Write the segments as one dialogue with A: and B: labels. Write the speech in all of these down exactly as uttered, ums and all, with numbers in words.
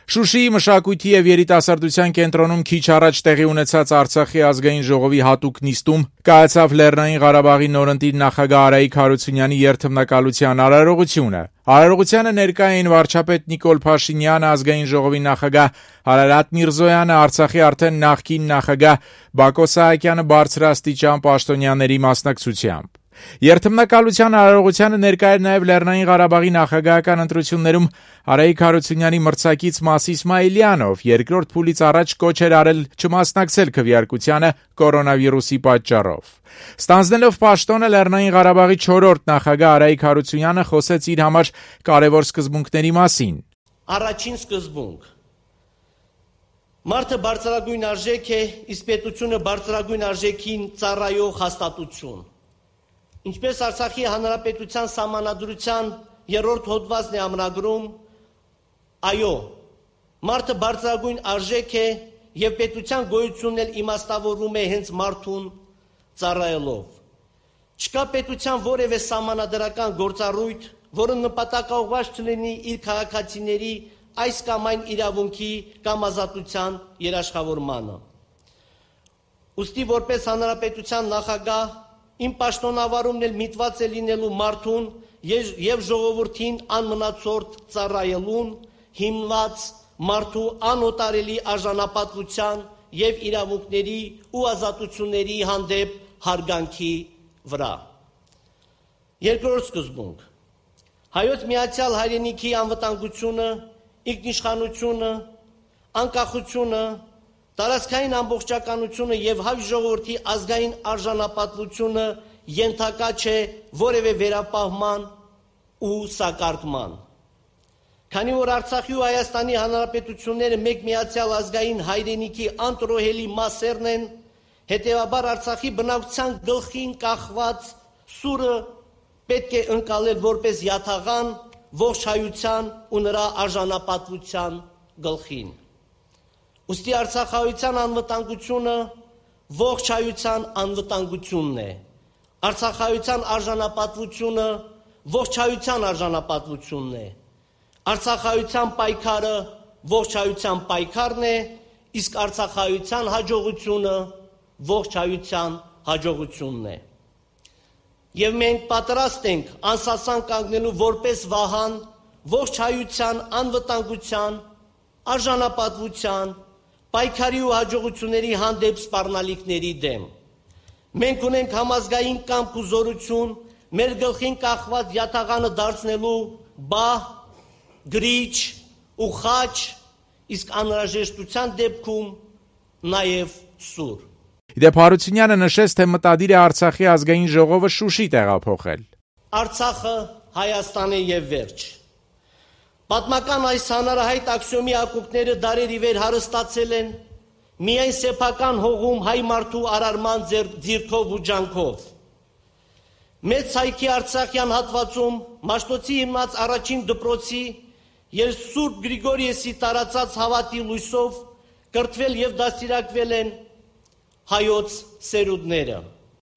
A: Շուշիի մշակույթի եւ երիտասարդության կենտրոնում քիչ առաջ տեղի ունեցած Արցախի ազգային ժողովի հատուկ նիստում կայացավ Լեռնային Ղարաբաղի նորընտիր նախագահ Արայիկ Հարությունյանի երթմնակալության արարողությունը։ Արարողությանը ներկա էին վարչապետ Նիկոլ Փաշինյանը, ազգային ժողովի նախագահ Արարատ Միրզոյանը, Արցախի արդեն նախկին նախագահ Բակո Սահակյանը բարձրաստիճան պաշտոնյաների մասնակցությամբ։ Երթմնակալության արարողությանը ներկա էր նաև Լեռնային Ղարաբաղի նախագահական ընտրություններում Արայիկ Հարությունյանի մրցակից Մաս Իսմայիլյանով, երկրորդ փուլից առաջ կոչ էր արել չմասնակցել քվեարկությանը կորոնավիրուսի պատճառով։ Ստանձնելով պաշտոնը Լեռնային Ղարաբաղի չորրորդ նախագահ Արայիկ Հարությունյանը խոսեց իր համար կարևոր սկզբունքների մասին։
B: Առաջին սկզբունք. Մարդը բարձրագույն արժեք է, իսկ պետությունը բարձրագույն արժեքին ծառայող հաստատություն։ Ինչպես Արցախի Հանրապետության Սահմանադրության երրորդ հոդվածն է ամրագրում, այո, մարդը բարձրագույն արժեք է եւ պետության գոյությունն էլ իմաստավորվում է հենց մարդուն ծառայելով։ Չկա պետության որևէ սահմանադրական գործառույթ, որը նպատակաուղղված չլինի իր քաղաքացիների այս կամ այն իրավունքի կամ ազատության երաշխավորմանը։ Ուստի որպես հանրապետության նախագահ իմ պաշտոնավարումն էլ միտված է լինելու մարդուն եւ ժողովրդին անմնացորդ ծառայելուն, հիմնված մարդու անօտարելի արժանապատվության եւ իրավունքների ու ազատությունների հանդեպ հարգանքի վրա։ Երկրորդ սկզբունք. Հայոց Միացյալ Հայրենիքի անվտանգությունը, ինքնիշխանությունը, անկախությունը, տարածքային ամբողջականությունը եւ հայ ժողովրդի ազգային արժանապատվությունը ենթակա չէ որևէ վերապահման ու սակարկման։ Քանի որ Արցախի ու Հայաստանի Հանրապետությունները մեկ միացյալ ազգային հայրենիքի անտրոհելի մասերն են, հետեւաբար Արցախի բնակչության գլխին կախված սուրը պետք է ընկալել որպես յաթաղան ողջ հայության ու նրա արժանապատվության գլխին։ Ուստի արցախահայության անվտանգությունը ողջ հայության անվտանգությունն է։ Արցախահայության արժանապատվությունը ողջ հայության արժանապատվությունն է։ Արցախահայության պայքարը ողջ հայության պայքարն է, իսկ արցախահայության հաջողությունը ողջ հայության հաջողությունն է։ Եվ մենք պատրաստ ենք անսասան կանգնելու որպես վահան ողջ հայության անվտանգության, արժանապատվության, պայքարի ու հաջողությունների հանդեպ սպառնալիքների դեմ։ Մենք ունենք համազգային կամք ու զորություն մեր գլխին կախված յաթաղանը դարձնելու բահ, գրիչ ու խաչ, իսկ անհրաժեշտության դեպքում նաև սուր։
A: Իդեպ Հարությունյանը նշեց, թե մտադիր է Արցախի ազգային ժողովը Շուշի տեղափոխել։
B: Արցախը Հայաստան է եւ վերջ։ Պատմական այս հանրահայտ աքսիոմի ակունքները դարեր ի վեր հարստացել են միայն սեփական հողում հայ մարդու արարման ձիրքով ու ջանքով։ Մեծ հայքի Արցախյան հատվածում Մաշտոցի հիմնած առաջին դպրոցի եւ Սուրբ Գրիգորիեսի տարածած հավատի լույսով կրթվել եւ դաստիարակվել են հայոց սերունդները։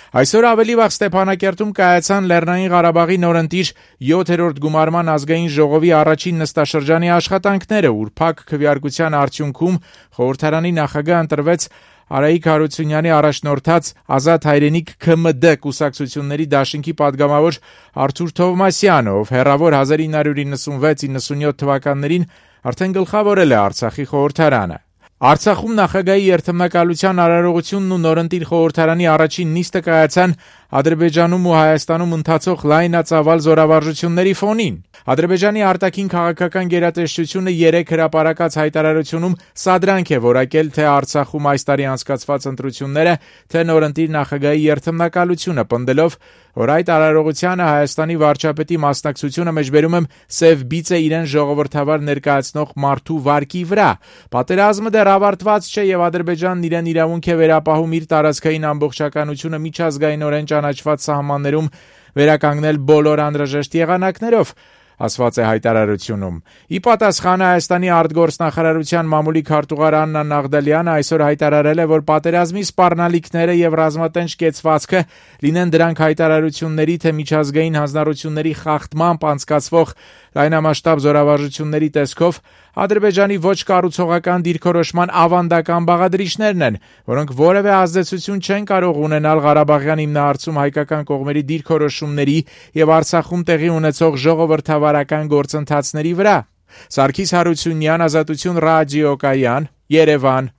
A: Այսօր ավելի վաղ Ստեփանակերտում կայացան Լեռնային Ղարաբաղի նորընտիր յոթերորդ գումարման ազգային ժողովի առաջին նստաշրջանի աշխատանքները, ուր փակ քվեարկության արդյունքում խորհրդարանի նախագահ ընտրվեց Արայիկ Հարությունյանի առաջնորդած Ազատ հայրենիք K M D կուսակցությունների դաշինքի падգամավոր Արթուր Թովմասյանը, ով հեռավոր հազար ինը հարյուր իննսունվեց իննսունյոթ թվականներին արդեն գլխավորել է Արցախի խորհրդարանը։ Արցախում նախագահի երթմնակալության արարողությունն ու նորընտիր խորհրդարանի առաջին նիստը կայացան Ադրբեջանում ու Հայաստանում ընթացող լայնածավալ զորավարժությունների ֆոնին։ Ադրբեջանի արտաքին քաղաքական գերատեսչությունը երեք հրապարակած հայտարարությունում սադրանք է որակել թե Արցախում այս տարի անցկացված ընտրությունները, թե նորընտիր նախագահի երթմնակալությունը, պնդելով, որ այդ արարողությանը Հայաստանի վարչապետի մասնակցությունը մեջբերում եմ սև բիծ է իրեն ժողովրդավար ներկայացնող մարդու վարկի վրա։ Պատերազմը դեռ ավարտված չէ եւ Ադրբեջանն իրեն իրավունք է վերապահում իր տարածքային ամբողջականությունը միջազգայինորեն ճանաչված սահմաններում վերականգնել բոլոր անհրաժեշտ եղանակներով, ասված է հայտարարությունում։ Ի պատասխան Հայաստանի արտգործնախարարության մամուլի քարտուղար Աննա Նաղդալյանը այսօր հայտարարել է, որ պատերազմի սպառնալիքները եւ ռազմատենչ կեցվածքը լինեն դրանք հայտարարությունների թե միջազգային հանձնառությունների խախտմամբ անցկացվող Լայնամասշտաբ զորավարժությունների տեսքով Ադրբեջանի ոչ կառուցողական դիրքորոշման ավանդական բաղադրիչներն են, որոնք որևէ ազդեցություն չեն կարող ունենալ Ղարաբաղյան հիմնահարցում հայկական կողմերի դիրքորոշումների եւ Արցախում տեղի ունեցող ժողովրդավարական գործընթացների վրա։ Սարգիս Հարությունյան, Ազատություն ռադիոկայան, Երևան։